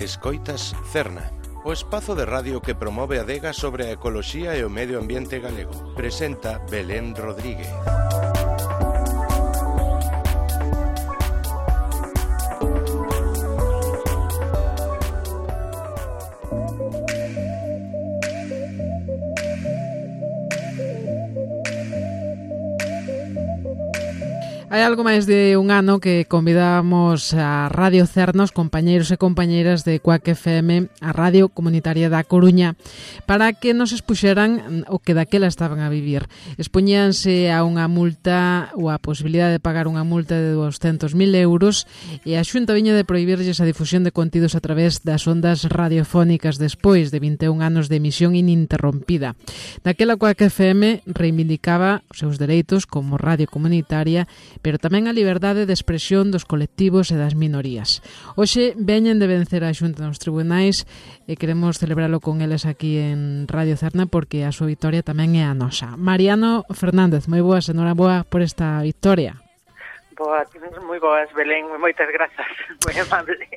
Escoitas Cerna, o espazo de radio que promove a adega sobre a ecoloxía e o medio ambiente galego. Presenta Belén Rodríguez. Hai algo máis de un ano que convidamos a Radio Cerna, os compañeiros e compañeiras de Cuac FM, a Radio Comunitaria da Coruña, para que nos expuxeran o que daquela estaban a vivir. Expoñíanse a unha multa ou a posibilidade de pagar unha multa de 200.000 euros e a Xunta viña de prohibirlles a difusión de contidos a través das ondas radiofónicas despois de 21 anos de emisión ininterrompida. Daquela Cuac FM reivindicaba os seus dereitos como radio comunitaria, pero tamén a liberdade de expresión dos colectivos e das minorías. Hoxe veñen de vencer a Xunta nos tribunais e queremos celebralo con eles aquí en Radio Cerna porque a súa victoria tamén é a nosa. Mariano Fernández, moi boas, enhoraboa por esta victoria. Boa, moi boas, Belén, moitas grazas, moi amable.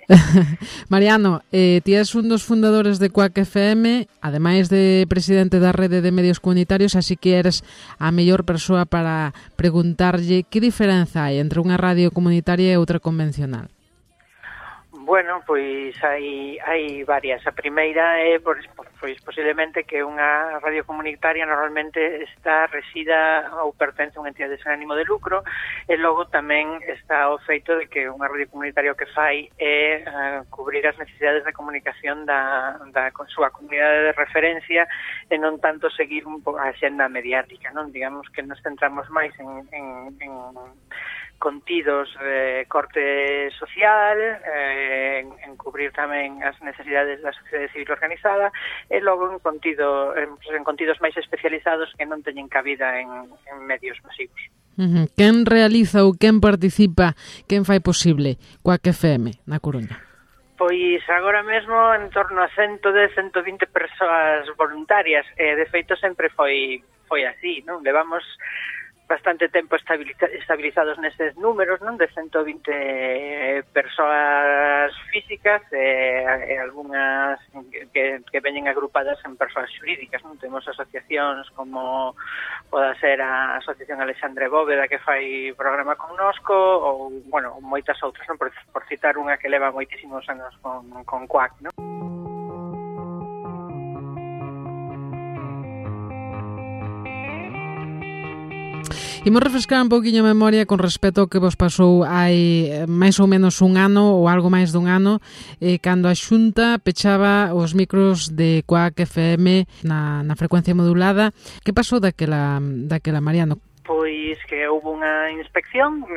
Mariano, ti és un dos fundadores de Cuac FM, ademais de presidente da Rede de Medios Comunitarios, así que eres a mellor persoa para preguntarlle que diferenza hai entre unha radio comunitaria e outra convencional. Bueno, pois hai varias. A primeira é pois posiblemente que unha radio comunitaria normalmente está resida ou pertence a unha entidade sen ánimo de lucro, e logo tamén está o feito de que unha radio comunitaria o que fai é cubrir as necesidades de comunicación da súa comunidade de referencia e non tanto seguir un pouco a xenda mediática, non? Digamos que nos centramos máis en contidos de corte social, en cubrir tamén as necesidades da sociedade civil organizada e logo en contidos máis especializados que non teñen cabida en medios masivos. Quen realiza ou quen participa, quen fai posible Cuac FM na Coruña? Pois agora mesmo en torno a 110-120 persoas voluntarias, e de feito sempre foi así, non? Levamos bastante tempo estabilizados neses números, non? De 120 persoas físicas e algunhas que veñen agrupadas en persoas xurídicas, non? Temos asociacións como poda ser a Asociación Alexandre Bóveda, que fai programa connosco, ou, bueno, moitas outras, non? Por citar unha que leva moitísimos anos con Cuac, non? Imos refrescar un pouquiño a memoria con respecto ao que vos pasou hai máis ou menos un ano ou algo máis dun ano, cando a Xunta pechaba os micros de Cuac FM na frecuencia modulada. Que pasou daquela, Mariano? Pois que houve unha inspección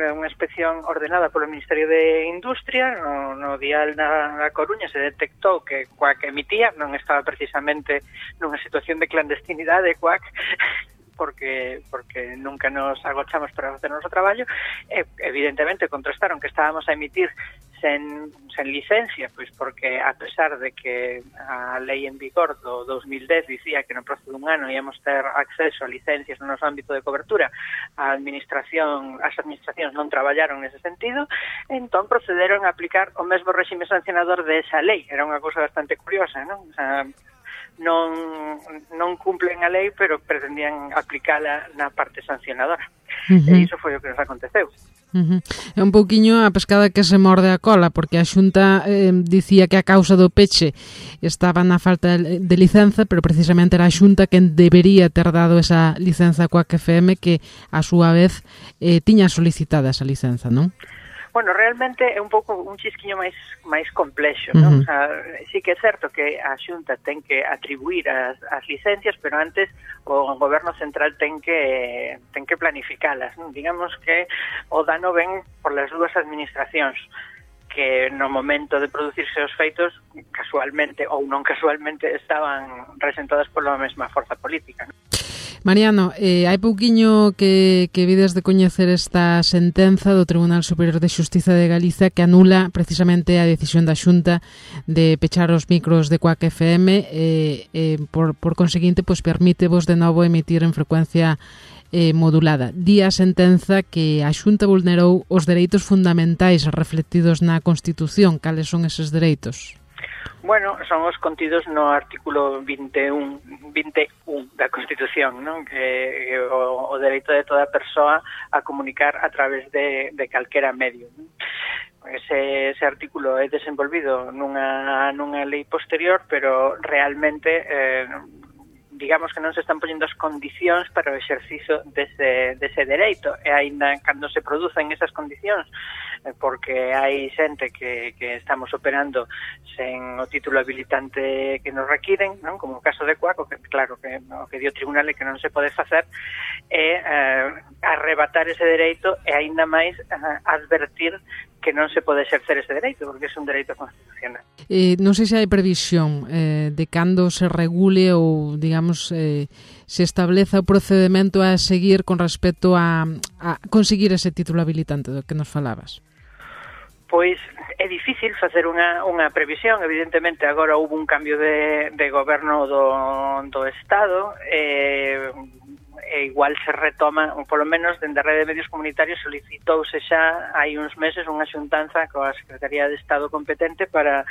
ordenada polo Ministerio de Industria no dial na Coruña. Se detectou que Cuac emitía, non estaba precisamente nunha situación de clandestinidade Cuac, porque nunca nos agochamos para facer o noso traballo, e evidentemente contrastaron que estábamos a emitir sen licencia, pois porque a pesar de que a lei en vigor do 2010 dicía que no prazo dun ano íamos ter acceso a licencias no noso ámbito de cobertura, as administracións non traballaron nese sentido, entón procederon a aplicar o mesmo réxime sancionador de esa lei. Era unha cousa bastante curiosa, non? O sea, non cumplen a lei, pero pretendían aplicala na parte sancionadora. E iso foi o que nos aconteceu. É un pouquiño a pescada que se morde a cola, porque a Xunta dicía que a causa do peche estaba na falta de licenza, pero precisamente era a Xunta quen debería ter dado esa licenza a Cuac FM, que a súa vez tiña solicitada esa licenza, non? Bueno, realmente é un pouco un chisquiño máis complexo, non? O sea, sí que é certo que a Xunta ten que atribuir as licencias, pero antes o Goberno Central ten que planificalas, non? Digamos que o dano ven por las dúas administracións, que no momento de producirse os feitos, casualmente ou non casualmente, estaban resentadas pola mesma forza política, non? Mariano, hai pouquiño que vides de coñecer esta sentenza do Tribunal Superior de Xustiza de Galicia que anula precisamente a decisión da Xunta de pechar os micros de Cuac FM por conseguinte, pois permítevos de novo emitir en frecuencia modulada. Di a sentenza que a Xunta vulnerou os dereitos fundamentais reflectidos na Constitución. Cales son eses dereitos? Bueno, son os contidos no artículo 21 da Constitución, non? Que o dereito de toda persoa a comunicar a través de calquera medio, non? Ese artículo é desenvolvido nunha lei posterior, pero realmente digamos que non se están poñendo as condicións para o exercicio dese dereito, e aínda cando se producen esas condicións, porque hai xente que estamos operando sen o título habilitante que nos requiren, non? Como o caso de Cuac, que claro que o que dio o tribunal é que non se pode facer é arrebatar ese dereito e aínda máis advertir que non se pode exercer ese dereito, porque é un dereito constitucional. Non sei se hai previsión de cando se regule ou, digamos, se estableza o procedimento a seguir con respecto a conseguir ese título habilitante do que nos falabas. Pois é difícil facer unha previsión. Evidentemente agora houve un cambio de goberno do Estado, e igual se retoma, ou polo menos dende a Rede de Medios Comunitarios solicitouse xa hai uns meses unha xuntanza coa Secretaría de Estado competente para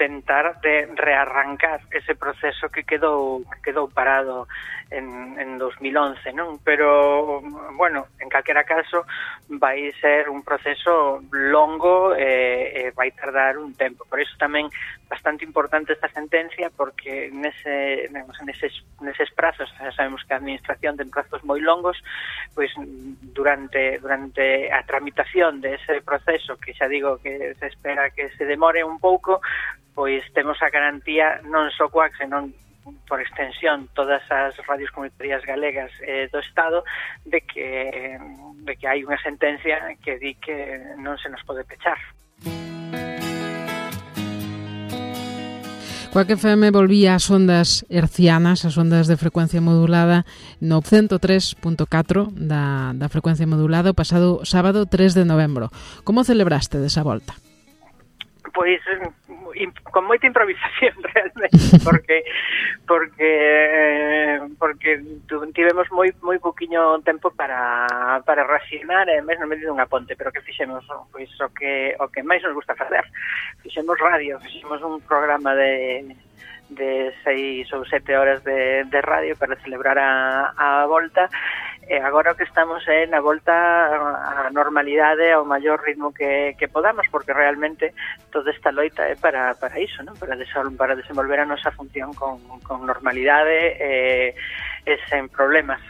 tentar de rearrancar ese proceso que quedou parado en 2011, non? Pero, bueno, en calquera caso vai ser un proceso longo e vai tardar un tempo. Por iso tamén bastante importante esta sentencia, porque neses prazos, xa sabemos que a administración ten prazos moi longos, pois durante a tramitación dese proceso, que xa digo que se espera que se demore un pouco, pois temos a garantía non só Cuac, senón por extensión todas as radios comunitarias galegas do Estado de que hai unha sentencia que di que non se nos pode pechar. Cuac FM volvía ás ondas hercianas, as ondas de frecuencia modulada no 103.4 da frecuencia modulada o pasado sábado 3 de novembro. Como celebraste desa volta? Pois con moita improvisación realmente, porque tivemos moi poquiño tempo para racionar, e mesmo no medio dunha ponte, pero que fixemos pois o que máis nos gusta facer. Fixemos radio, fixemos un programa de 6 ou 7 horas de radio para celebrar a volta. E agora o que estamos é na volta á normalidade ao maior ritmo que podamos, porque realmente toda esta loita é para iso, non? Para desenvolver a nosa función con normalidade e sen problemas.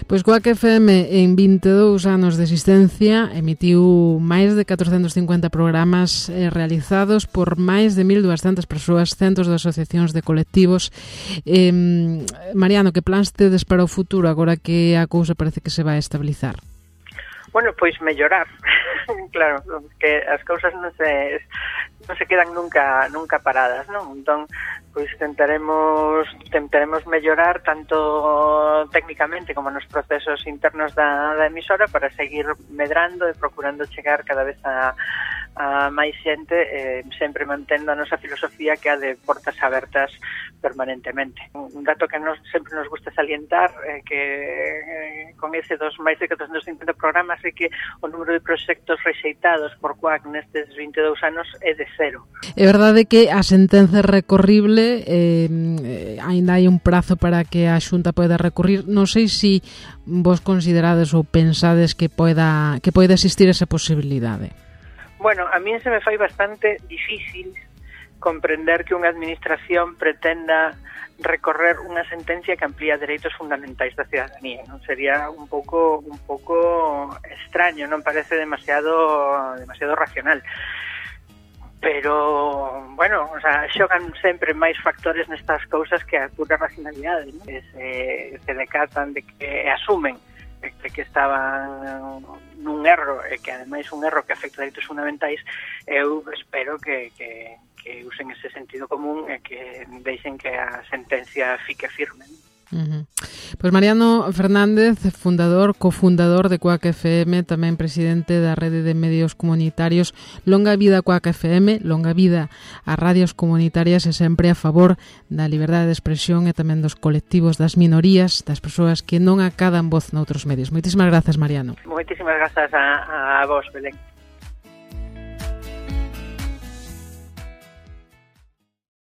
Pois Cuac FM en 22 anos de existencia emitiu máis de 450 programas realizados por máis de 1.200 persoas, centos de asociacións, de colectivos. Mariano, que plans tedes para o futuro agora que a cousa parece que se vai estabilizar? Bueno, pois mellorar. Claro, que as cousas non se quedan nunca paradas, non? Entón, pois tentaremos mellorar tanto técnicamente como nos procesos internos da emisora para seguir medrando e procurando chegar cada vez a máis xente, sempre mantendo a nosa filosofía que é a de portas abertas permanentemente. Un dato que sempre nos gusta salientar é que con ese dos máis de 450 programas é que o número de proxectos rexeitados por Cuac nestes 22 anos é de 0. É verdade que a sentenza é recorrible, aínda hai un prazo para que a Xunta poida recurrir. Non sei se vos considerades ou pensades que poida existir esa posibilidade. Bueno, a mí se me fai bastante difícil comprender que unha administración pretenda recorrer unha sentencia que amplía dereitos fundamentais da cidadanía. Non sería un pouco extraño, non parece demasiado racional. Pero, bueno, o sea, xogan sempre máis factores nestas cousas que a pura racionalidade, non? Se decatan de que asumen de que estaban nun erro, e que ademais un erro que afecta a dereitos fundamentais. Eu espero que usen ese sentido común e que deixen que a sentencia fique firme. Pois Mariano Fernández, cofundador de Cuac FM, tamén presidente da Rede de Medios Comunitarios. Longa vida Cuac FM, longa vida as radios comunitarias, e sempre a favor da liberdade de expresión e tamén dos colectivos, das minorías, das persoas que non acadan voz noutros medios. Moitísimas grazas, Mariano. Moitísimas grazas a vos, Belén.